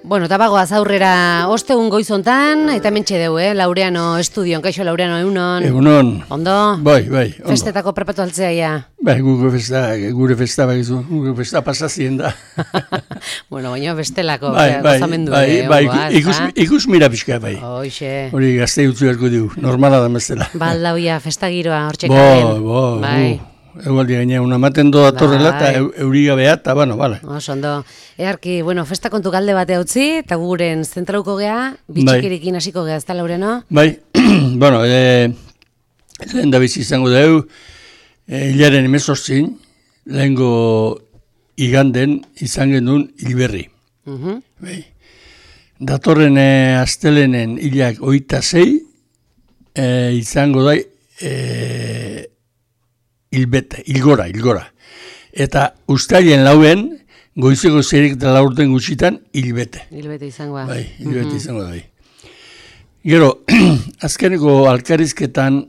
Bueno, eta bagoaz aurrera ostegun goizontan, eta mentxe deu, Laureano Estudion, kaixo Laureano, egunon. Egunon. Ondo? Bai, ondo. Festetako prepatu altzea, ja. Bai, gure festa pasazien da. Bueno, baina bestelako, bai, gozamendu. Ikus mira pixka, bai. Hoxe. Hori gazte utzu erko dugu, normala da mezela. Baldauia, festa giroa, hortxekaren. Bai. Egualdi gaina, unamaten doa torrela eta euriga beha, eta bueno, bale. Ondo. Earki, bueno, festa kontu galde bate utzi, eta guren zentrauko gea, bitxikirikin hasiko gea, ez da, Laureno? Bai, bueno, lehen da bizi izango dugu, hilaren 18, lehengo iganden izan genuen hilberri. Bai. Datorren astelenen hilak 26, izango da hilgora. Eta ustailien lauen, goizeko zerik da laurten gutxitan, hilbete. Hilbete izango da. Bai, hilbete izango da. Gero, azkeneko alkarizketan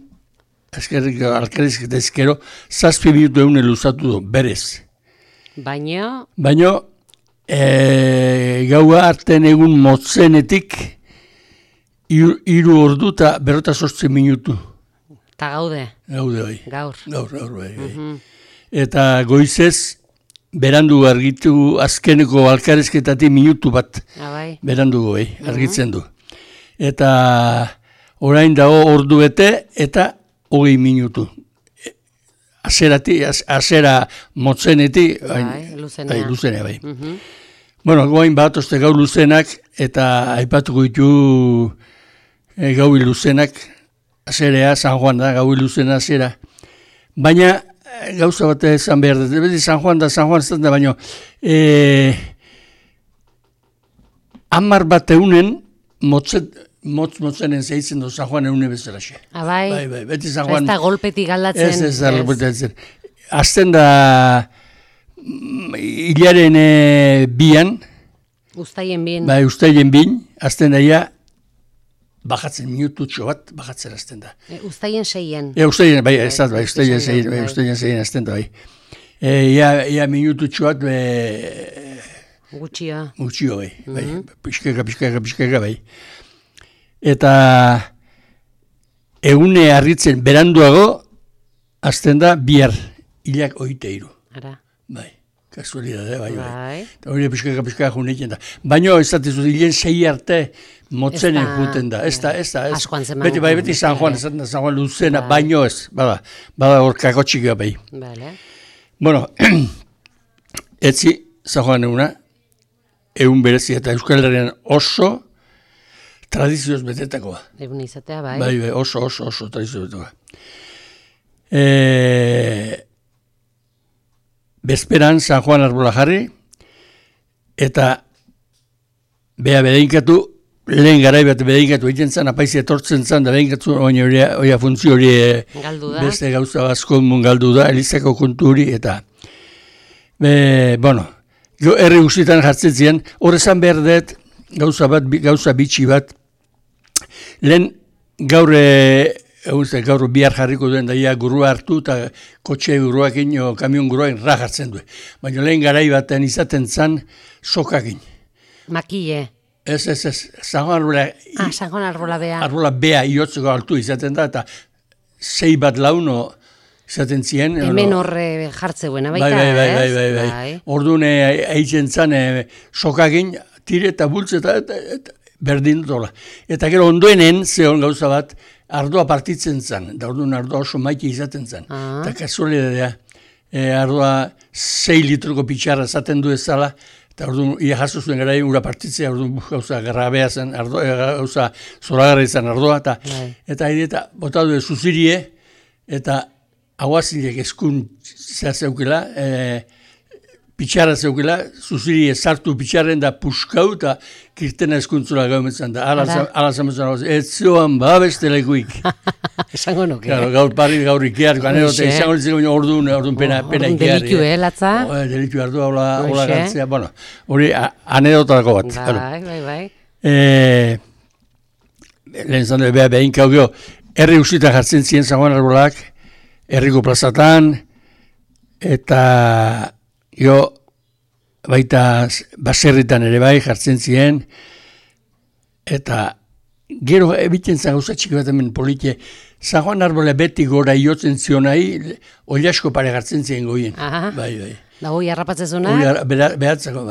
ezkero, 7 minutu egun luzatu du, berez. Baino, gaua arten egun motzenetik, 3 ordu eta 48 minutu. Eta gaude, bai. Gaur, bai. Eta goizez, berandu argitu azkeneko alkarezketatik minutu bat. Bai. Berandugo, argitzen du. Eta orain dago ordu bete eta 20 minutu. Azera motzenetik, luzenea, bai. Bueno, goain bat, oste gau luzenak, eta aipatuko ditu gau luzenak, azerea, San Juan da, gau luzena azera. Baina, gauza bat ezan behar dut, beti San Juan ez da, baina 10 bat eunen motzenen zeitzen du San Juan eune bezala xe. Bai, beti San Juan. Ez da golpetik galdatzen. Ez da golpetik. Azten da hilaren bian. Uztaien bin. Bai, uztaien bin, azten daia, bajatzen minututxo bat, bajatzen azten da. Uztaien 6. Uztaien, bai, ez da, uztaien 6 azten da, bai. Ia minututxo bat, Gutxio, bai. Pixkaka, bai. Eta egune harritzen beranduago, azten da, bihar, hilak 23. Ara. Bai. Kasualidade, bai. Eta hori pixkaka juneiken da. Baina ez da, hilen 6 arte motzenen juten da. Ez da. Askoan zeman. Beti San Juan, San Juan luzena, baino ez. Bada hor kakotxika bai. Bale. Bueno, etzi San Juan eguna, egun berezi eta Euskal Herrian oso tradizioz betetakoa. Egun izatea, bai. Bai, oso tradizioz betetakoa. Bezperan San Juan arbola jarri, eta beha bedeinkatu, lehen garai bat bedeinkatu egiten zen, apaizi etortzen zen, da bedeinkatu oia funtzio hori beste gauza bazko galdu da, Elizako kontu hori, eta bueno, herri guztietan jartzen ziren, horrezan behar dut, gauza bitxi bat, lehen gaur bihar jarriko duen daia gurua hartu eta kotxe guruakin o kamion guruakin rajartzen du. Baina lehen garai baten izaten zan sokakin. Makille. Ez. San Juan arbola. San Juan arbola bea. Arbola bea iotzeko altu izaten da eta 6 bat launo izaten zien. Hemen horre jartzeuena baita, ez? Bai. Orduan eitzen zan sokakin tire eta bultze eta berdin dola. Eta gero ondoenen zehon gauza bat, ardoa partitzen zen, da orduan ardoa oso maite izaten zen. Eta kasualidadea, ardoa 6 litroko pitxarra zaten du ezala, eta orduan ia jaso zuen gara ura partitzea, orduan gauza garrabea zen, gauza zoragarra izan ardoa, eta bota du zuzirie, eta aguazilek eskun zeukela, pitxarra zeukela, zuzirie sartu pitxarren da puskau, eta kirtena eskuntzula gaumetzen da. Ala zametzen, ez zoan babestelaikuik. Esango nuke. Gaur parri, gaur ikear, izango ditzen orduan pena ikear. Delitu, latza? Delitu hartu, hola gantzea. Bueno, hori anedotako bat. Bai. Lehen zan dut, behin kaugio, herri guztietan jartzen ziren San Juan arbolak, herriko plazatan, eta baita baserritan ere bai jartzen ziren, eta gero ebiten zen gauza txiki bat hemen polite, San Juan Arbola beti gora iotzen zionai, oliasko pare gartzen ziren goien. Bai. Da hoi harrapatzezuna? Behatzako,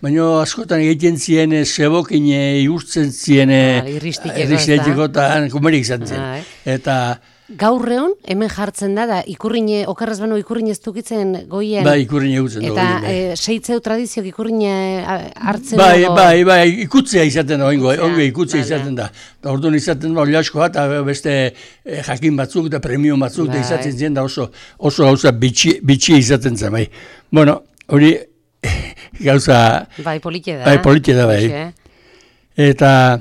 baina askotan egiten ziren, zebokin iurtzen ziren, irristikeko eta kumerik zaten. Eta gaurreon, hemen jartzen da ikurrine, okarraz bano ikurrine ez dukitzen goien. Bai, ikurrine egutzen dugu. Eta seitzeu tradiziok ikurrine hartzen dugu. Bai, ikutzea izaten da, ongo ikutzea izaten da. Orduan izaten da, oliasko bat, beste jakin batzuk eta premio batzuk da izaten zen da oso gauza bitxia izaten zen, bai. Bueno, hori gauza... Bai, polite da. Bai, polite da, bai. Eta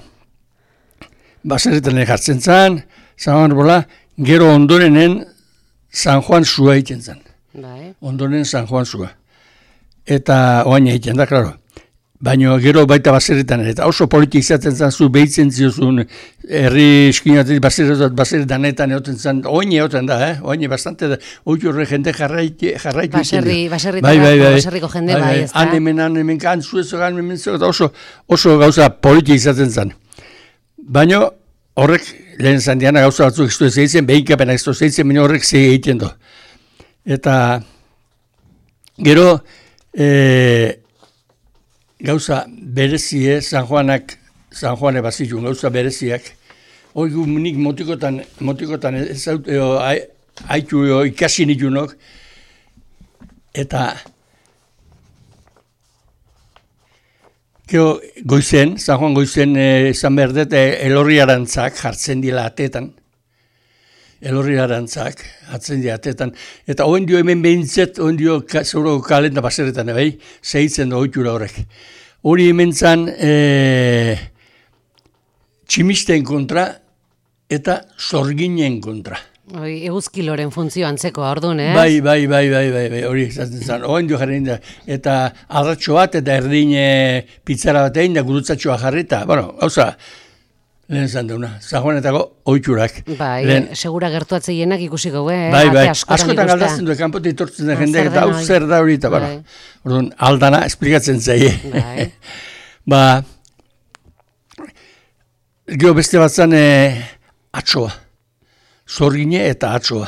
baserretan jartzen zen, San Juan gero ondorenen San Juan zua egiten zen. Ondoren San Juan zua. Eta oain egiten da, klaro. Baina gero baita baserretan, eta oso politik izaten zen zu behitzen ziozun herri eskinatik baserretanetan egoten zen, oin egoten da, oin bastante da, oitu horre jende jarraitu. Baserriko jende bai, ez da. Han hemen zuezogan, oso gauza politik izaten zen. Baina horrek, lehen zandiana gauza batzuk ez du ez egiten, behinkapen ez du ez egiten, baina horrek ze egiten du. Eta gero, gauza berezie, San Juane bazitun, gauza bereziak, hori nik motikotan ez haitu ikasi nitunok, eta goizen, San Juan goizen esan behar dut, elorriarantzak jartzen dila atetan. Elorriarantzak jartzen dila atetan. Eta hoen dio hemen behintzet, hoen dio zauro kalenda baserretan, bai, zehitzen da oitura horrek. Hori hemen zan tximisten kontra eta zorginen kontra. Eguzkiloren funtzio antzeko, orduan, ez? Bai, hori izaten zen. Oen dio jarri da, eta arratxo bat, eta erdin pizzara bat egin da, gurutzatxoa jarrita. Bueno, gauza, lehen zan deuna, San Juanetako oiturak. Bai, segura gertuatze hienak ikusiko, Bai, askotan galdazten du, kanpote itortzen da jendeak, eta hau zer da hori, eta orduan, aldana, esplikatzen zaie. Gero beste bat zan, atxoa. Zorgine eta atxoa.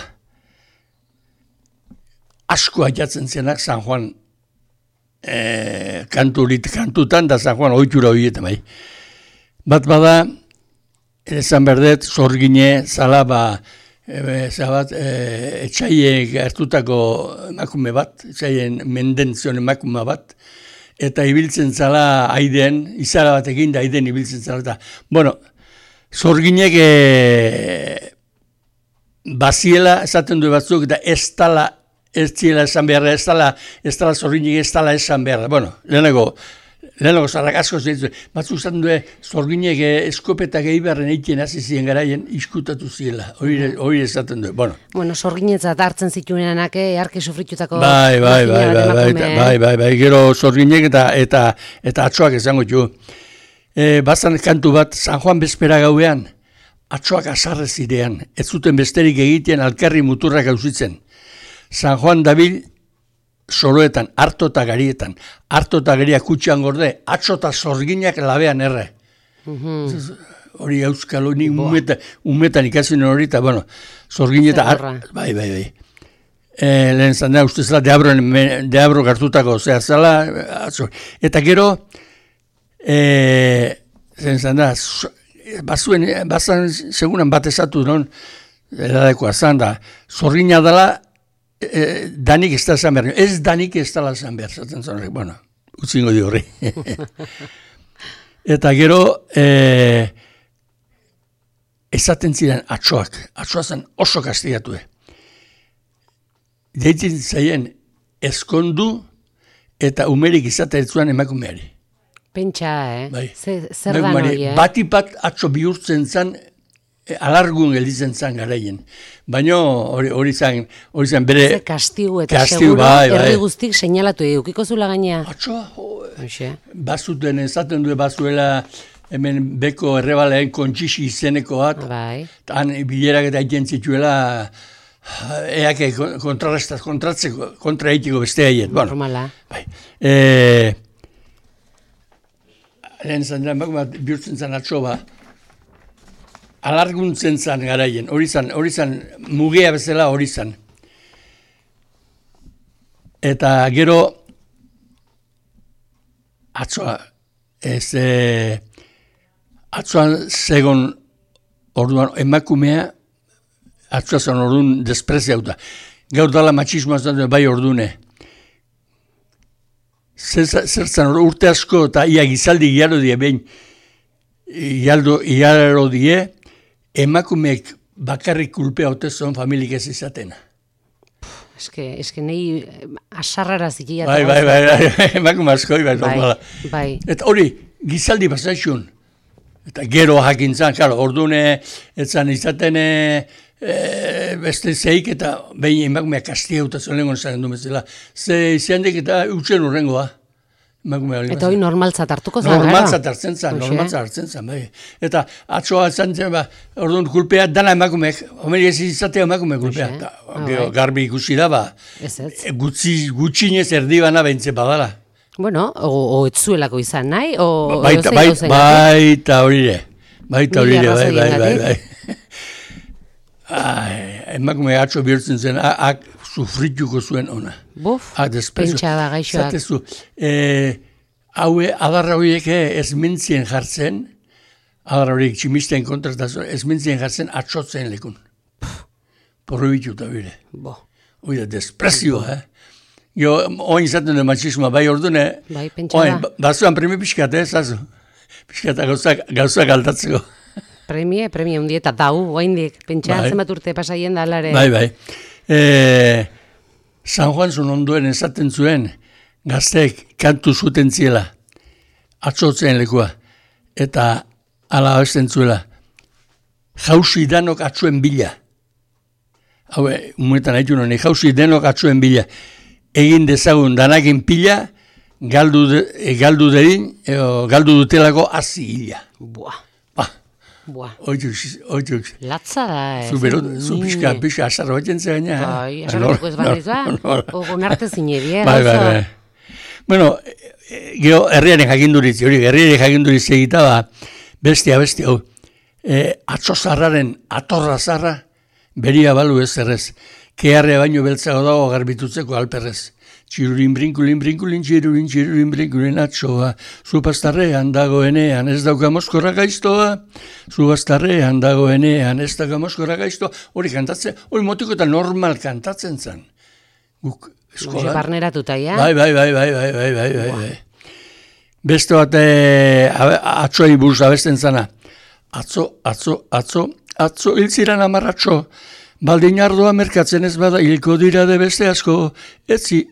Asko aiatzen zenak San Juan kantutan da San Juan oitura horietan bai. Bat bada, esan berdet, zorgine, zala etxaien hartutako emakume bat, etxaien mendenzion emakume bat, eta ibiltzen zala aiden, izara batekin da aiden ibiltzen zala. Eta, bueno, zorginek baziela esaten du batzuk, eta ez ziela esan beharra, ez dala zorginek ez dala esan beharra. Bueno, lehenago zarrak asko zeitzen. Batzuk esaten du zorginek eskopetak eibarren eitien hasi ziren garaien iskutatu ziela. Hori esaten du. Bueno, zorginetzat hartzen zituenak, arki sufritutako... Bai, gero zorginek eta atxoak esango txu. Bazan kantu bat, San Juan bezpera gauean, atxoak azarrez zirean, ez zuten besterik egiten alkarri muturrak auzitzen. San Juan dabil soroetan, harto eta garietan, harto eta garia kutxan gorde, atxo eta zorginak labean erre. Hori euskalo, nik umetan ikasin hori, eta bueno, zorgineta, bai. Lehen zan da, uste zela deabro gartutako, zera zela, eta gero, zan da, bazan segunan bat esatu non, edadekoa zan da, zorgina dela, danik ez da zan behar. Ez danik ez dala zan behar, zaten zan horrek, bueno, utzingo di horri. Eta gero, ezaten ziren atxoa zen oso kastigatu. Deitzen zaien ezkondu eta umerik izatea etzuan emakumeari. Pentsa, Bai. Zer da noi, Batipat atxo bihurtzen zan, alargun gelditzen zan garaien. Baina hori zan bere... Ze kastiu eta seguro, herri guztik seinalatu edukiko zula gaina. Atxoa, bazuten ezaten du bazuela hemen beko errebalean kontxixi izeneko bat. Bai. Han bilerak eta egiten zituela eake kontra egiteko beste haiet. Normala. Bai. Lehen zan dira, emakumeak bihurtzen zan atxoba, alarguntzen zan garaien, hori zan mugea bezala hori zan. Eta gero, atzoa, atzoan zegon orduan emakumea, atzoa zan orduan despreziauta. Gaur dala matxismoa zan bai ordune. Zertzan urte asko eta ia gizaldi giaro die behin, giaro die, emakumeek bakarrik kulpea otezon familik ez izatena. Eske nahi asarrara zikia. Bai, emakume askoi, bai. Eta hori, gizaldi basaixun. Eta gero jakintzan, claro, ordune, etzan izaten beste zeik eta behin emakumeak kastia utazen lehenko zaren du bezala. Ze izandik eta utxen urrengoa. Eta hori normaltzat hartuko zan, normaltzat hartzen zan, bai. Eta atzoa zantzen, orduan kulpea dana emakumeek, homeri ez izatea emakumeek kulpea. Garbi ikusi da, gutxinez erdibana behintze badala. Bueno, o etzuelako izan nahi, o baita horire. Bai. Emakume atzo bihurtzen zen, sufrituko zuen ona. Buf, pentsa da gaixoak. Zatezu, adarra horiek ez mintzien jartzen, adarra horiek tximisten kontratazioa, ez mintzien jartzen atzotzen lekun. Porrobituta bire. Oida, desprezioa, Jo, oin izaten du matxismoa, bai ordune, bazuan premi pixkat, zazu. Pixkat gauzak aldatzeko. Premie hundi eta dau, oindik, pentsa zenbat urte pasaien da alare. Bai. San Juan zuen ondoen esaten zuen, gazteek kantu zuten ziela, atzotzen lekua, eta ala abesten zuela, jauzi danok atzuen bila. Hau, umunetan haitu noni, jauzi denok atzuen bila. Egin dezagun danakin pila, galdu dutelako hazi hila. Oituk. Latza da, Zu pixka asarro batzen ze gaina. Bai, asarrotuko ez badiz ba, ogon arte zinebie. Bai. Bueno, geho, herriaren jakinduritzi, herriaren jakinduritzi egita ba, bestia, hau, atzo zarraren atorra zarra, beria balu ez errez, keharrea baino beltzago dago garbitutzeko alperrez. Txirurin brinkulin, txirurin brinkulin atzoa, zupastarrean dagoenean ez dauka moskorra gaiztoa, zupastarrean dagoenean ez dauka moskorra gaiztoa, hori kantatzen, hori motiko eta normal kantatzen zen. Guk eskolan. Barneratuta, ja? Bai. Beste bat atzoei buruz abesten zana. Atzo hiltziran amarratxo, baldin ardoa merkatzen ez bada hilko dira de beste asko, etzi,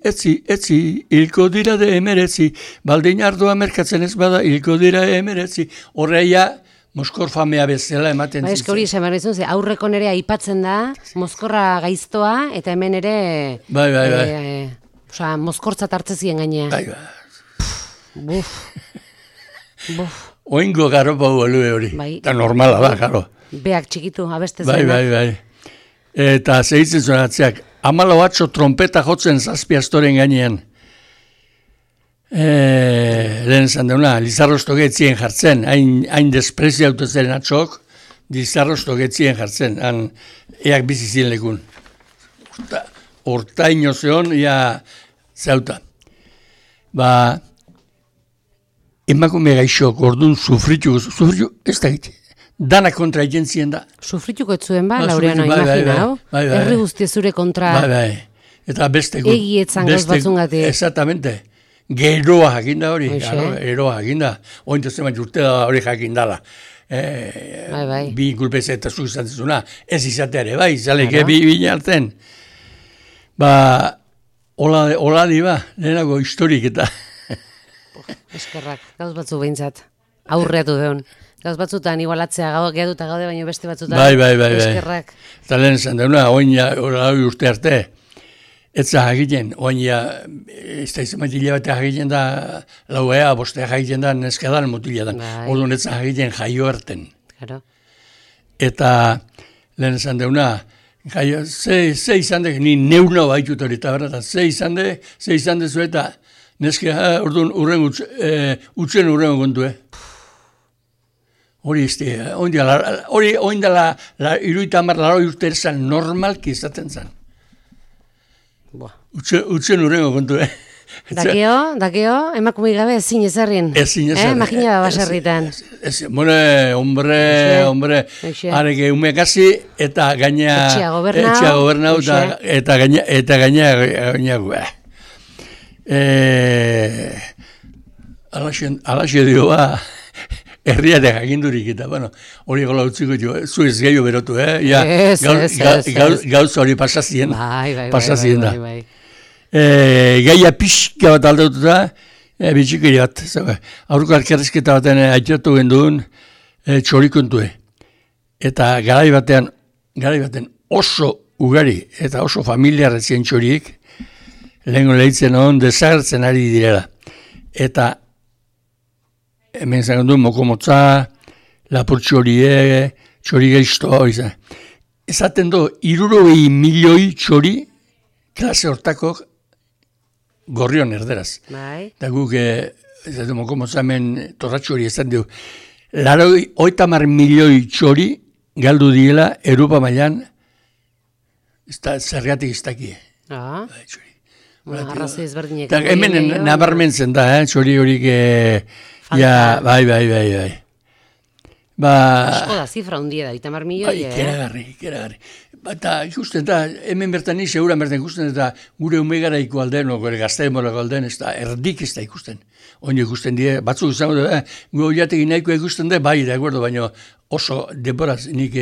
hilko dira de emeretzi, baldin ardoa merkatzen ez bada hilko dira emeretzi, horreia moskor famea bezala ematen zitzen. Eske hori esan behar izan, aurreko nere aipatzen da, moskorra gaiztoa, eta hemen ere... Bai. Osa, moskortzat hartzezien gainea. Bai. Buf. Oingo garo pau alue hori. Bai. Eta normala da, garo. Beak txikitu, abeste zena. Bai. Eta zehitzen zuen atzeak, 14 trompeta jotzen zazpi astoren gainean. Lehen esan deuna, Lizarrosto getzien jartzen, hain despreziautu zeren atzok, Lizarrosto getzien jartzen, eak bizizien lekun. Hortaino zeon, zauta. Emakume gaixok, orduan sufritu, ez da giti. Dana kontra egentzien da. Sufrituko etzuen Laureano, imagina, hau? Herri guzti zure kontra... Bai. Eta beste... Egietzan gauz batzungatik. Exactamente. Geroa jakinda hori. Geroa jakinda. Ointu zeman urte da hori jakindala. Bai. Bi kulpez eta zu izan zizuna. Ez izateare, bai, izaleke bi hartzen. Hola di lehenago historik eta... Eskerrak, gauz batzu behintzat. Aurreatu deun. Gauz batzutan igualatzea gehaduta gaude, baina beste batzutan. Bai. Eskerrak. Eta lehen esan deuna, oina urte arte, etza jakiten, oina, ez da izan matila batea jakiten da, lauea, bostea jakiten da, neskedan mutila da. Orduan etza jakiten jaio erten. Claro. Eta lehen esan deuna, Gaia, ze izan de, ni neuna baitut hori, eta berda, ze izan de zu eta neske, orduan utzen urrengo kontu, Hori izte, hori oindala iruita marlaro urte erzan normalki izaten zen. Utzen urrengo kontu, Dakeo, emakume gabe ezin ezarrin. Ezin ezarrin. Makina da baserritan. Hombre, areke umekasi eta gaina... Etxea gobernau eta gaina alaxe dio herriatek agindurik eta, hori gola utziko jo, zu ez gehiago berotu, gauz hori pasazien. Pasazien da. Gaia pixka bat aldatuta, bitxikiri bat. Aurko arkerrezketa baten aitzatu genduen txorikontue. Eta garai batean oso ugari eta oso familiarretzien txoriek, lehenko lehitzen hon desagertzen ari direla. Eta hemen zagen duen mokomotza, lapur txorie, txori geiztoa hori zen. Ezaten do, 60 milioi txori klase hortako gorrion erderaz. Eta guk, mokomotza hemen torratxo hori ezaten dugu. 80 milioi txori galdu diela Europa mailan zergatik ez daki. Arrazoi ezberdinek. Hemen nabarmentzen da, txori horik... bai. Asko da, zifra hundia da, 80 milioi. Ikeragarri. Eta ikusten da, hemen bertan ni seguran bertan ikusten eta gure umegaraiko alden, gure gaztaemorako alden, ez da, erdik ez da ikusten. Oino ikusten die, batzuk izango da, gu oiatekin nahikoa ikusten da, bai, da, baina oso denboraz nik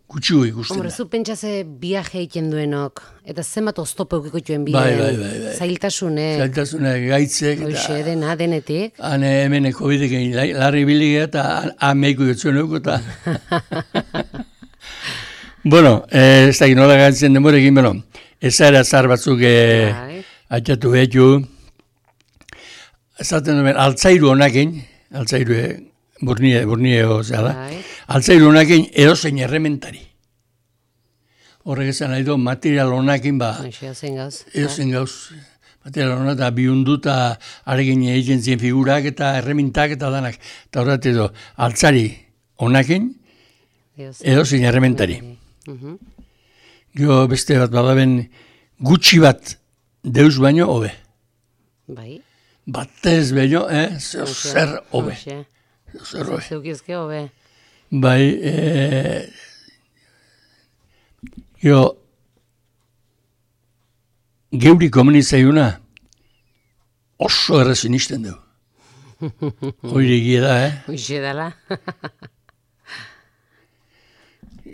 gutxiu ikusten da. Hombre, zu pentsaze viaje egiten duenok, eta zenbat oztopo eukikotuen bideen. Bai. Zailtasune. Gaitzek. Hoxe, denetik. Hane hemen COVID-ekin larri bilige eta ameiko jotzuen euko eta... Bueno, ez da nola gantzen denborekin, ezara zar batzuk atxatu behitu. Ezaten duen, altzairu honakin, altzairu burnie zela, altzairu honakin edozein errementari. Horrek esan nahi du, material honakin edozein gauz. Material honak eta bihunduta arekin egiten zien figurak eta erremintak eta danak. Eta horret edo, altzari honakin edozein errementari. Gio beste bat badaben gutxi bat deus baino hobe. Bai. Batez baino, zer hobe. Zeukizke hobe. Bai, gio geuri komunizaiuna oso errezin izten du. Hoire egia da, Hoxe dala.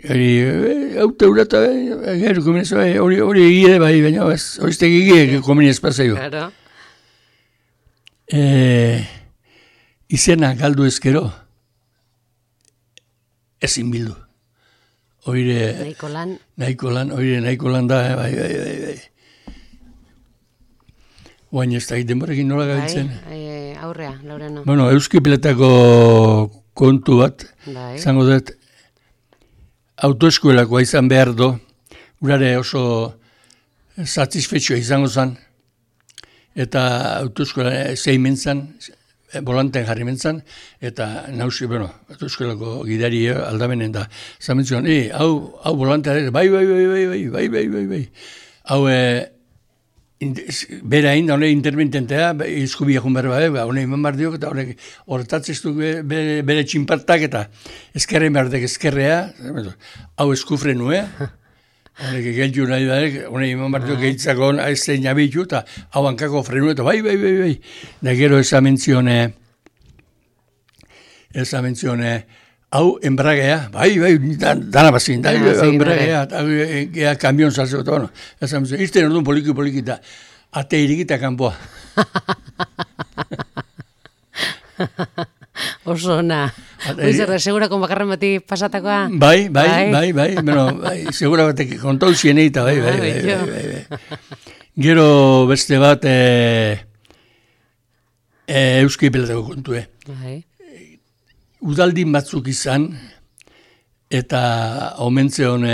Hauta urata, gero komunizua, hori egia bai, baina horiztek egia komuniz pasaio. Claro. Izena galdu ezkero, ezin bildu. Nahiko lan da, bai. Oain ez da, denborekin nola gabiltzen. Aurrea, Laureno. Bueno, Euskipeletako kontu bat, zango dut, autoeskuelakoa izan behar do, urare oso satisfetxoa izango zen, eta autoeskuela zein mentzan, volanten jarri mentzan, eta nausi, autoeskuelako gidari aldamenen da, zamentzuan, hau volantea, bai, hau, bera hain, hone intervententea, izkubia junber hone iman behar diok, eta horretatzeztu bere txinpartak, eta ezkerren behar dek ezkerrea, hau eskufrenu, hone geltu nahi behar, hone iman behar diok gehitzako ez zein abitu, eta hau hankako frenu, eta bai, da gero esamentzione, hau enbragea, bai, dana bazin, enbragea, eta kamion salzeko, eta bueno, esamentzione, irten orduan poliki eta ate irikita kanpoa. Oso ona. Oizerra, segura kon bakarren bati pasatakoa? Bai, segura batek kontau zieneita, bai. Gero beste bat Euskipeletako kontue. Bai. Udaldin batzuk izan, eta omentze hone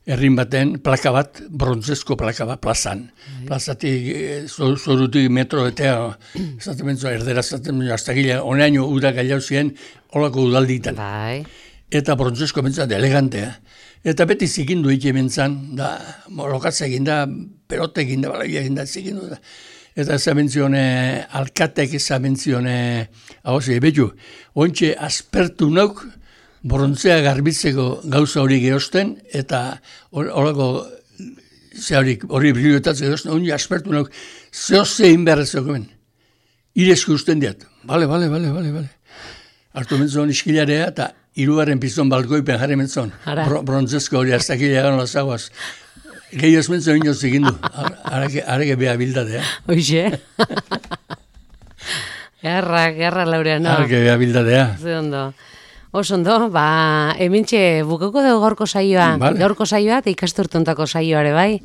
herrin baten plaka bat, brontzezko plaka bat, plazan. Plazatik, zorutik metro eta, zaten bentzu, erdera zaten bentzu, hasta gila, honeaino uda gailau ziren, holako udalditan. Bai. Eta brontzezko bentzat elegantea. Eta beti zikindu ike bentzan, da, lokatza egin da, perote egin da, balaia egin da, zikindu da. Eta zabentzione, alkatek zabentzione, hau ze, betu, ointxe aspertu nauk, brontzea garbitzeko gauza hori geosten, eta horako hori briliotatzeko geosten, hori aspertu nauk, zehose inberrezeko ben. Irezko usten diat. Bale. Artu mentzon iskilarea, eta hirugarren pizton balkoipen jarri mentzon. Brontzezko hori aztakilea gano lazagoaz. Gehioz mentzon inoz egindu. Arake beha bildadea. Hoxe. Gerra Laureano. Arake beha bildadea. Ze ondo. Oso ondo, hementxe bukako dugu gaurko saioa. Vale. Gaurko saioa eta ikasturtuntako saioare, bai?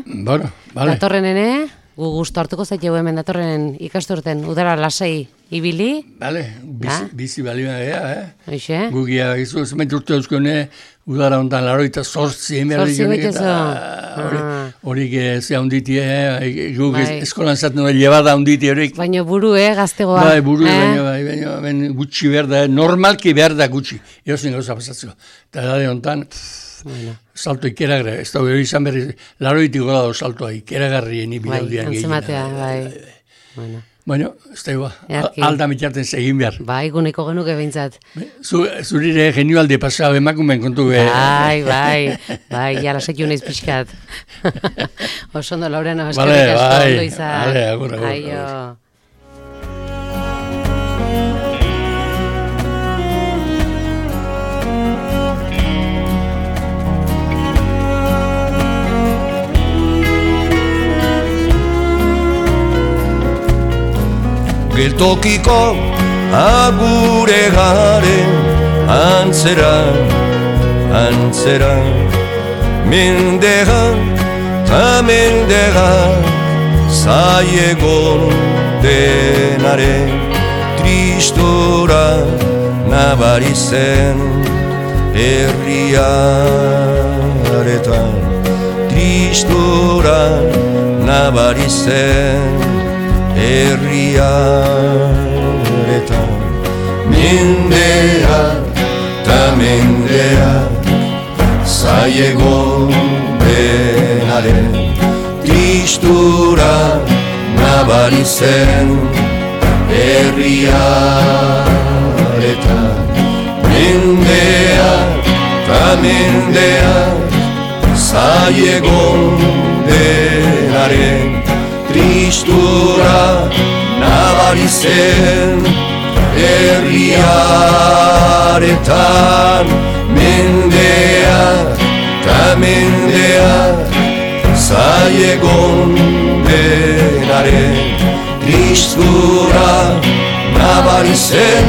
Bueno, vale. Datorrenene, gu gustu hartuko zaitegu hemen datorrenen ikasturten udara lasai ibili. Vale, bizi balioa ea, Hoxe. Gugia, izu, zenbait urte euskone, udara ondan laroita sortzi, horik ze handitie, guk eskolan zaten hori llebada handitie horik. Baina buru, gaztegoa. Bai, buru, baina gutxi behar da, normalki behar da gutxi. Eosin gauza pasatzeko. Eta edade ontan, salto ikeragarri, ez da hori izan berri, laroitik gola do saltoa ikeragarrien ibidaudian gehien. Antzematea, bai. Baina, ez da igual, alda mitarten segin behar. Bai, guneko genuke behintzat. Zurire genioalde pasau emakumen kontu Bai, jala sekiu naiz pixkat. Oso ondo, Laureano, eskerrik asko ondo izan. Bale, agur. Aio. Geltokiko agure garen antzera mendega ta mendega zaiegon denaren tristura nabari zen herriaretan tristura nabari zen herriaretan mendea ta mendea zaiegon denaren tristura nabari zen herriaretan mendea ta mendea zaiegon denaren tristura nabari zen herriaretan mendea ta mendea zaiegon denaren tristura nabari zen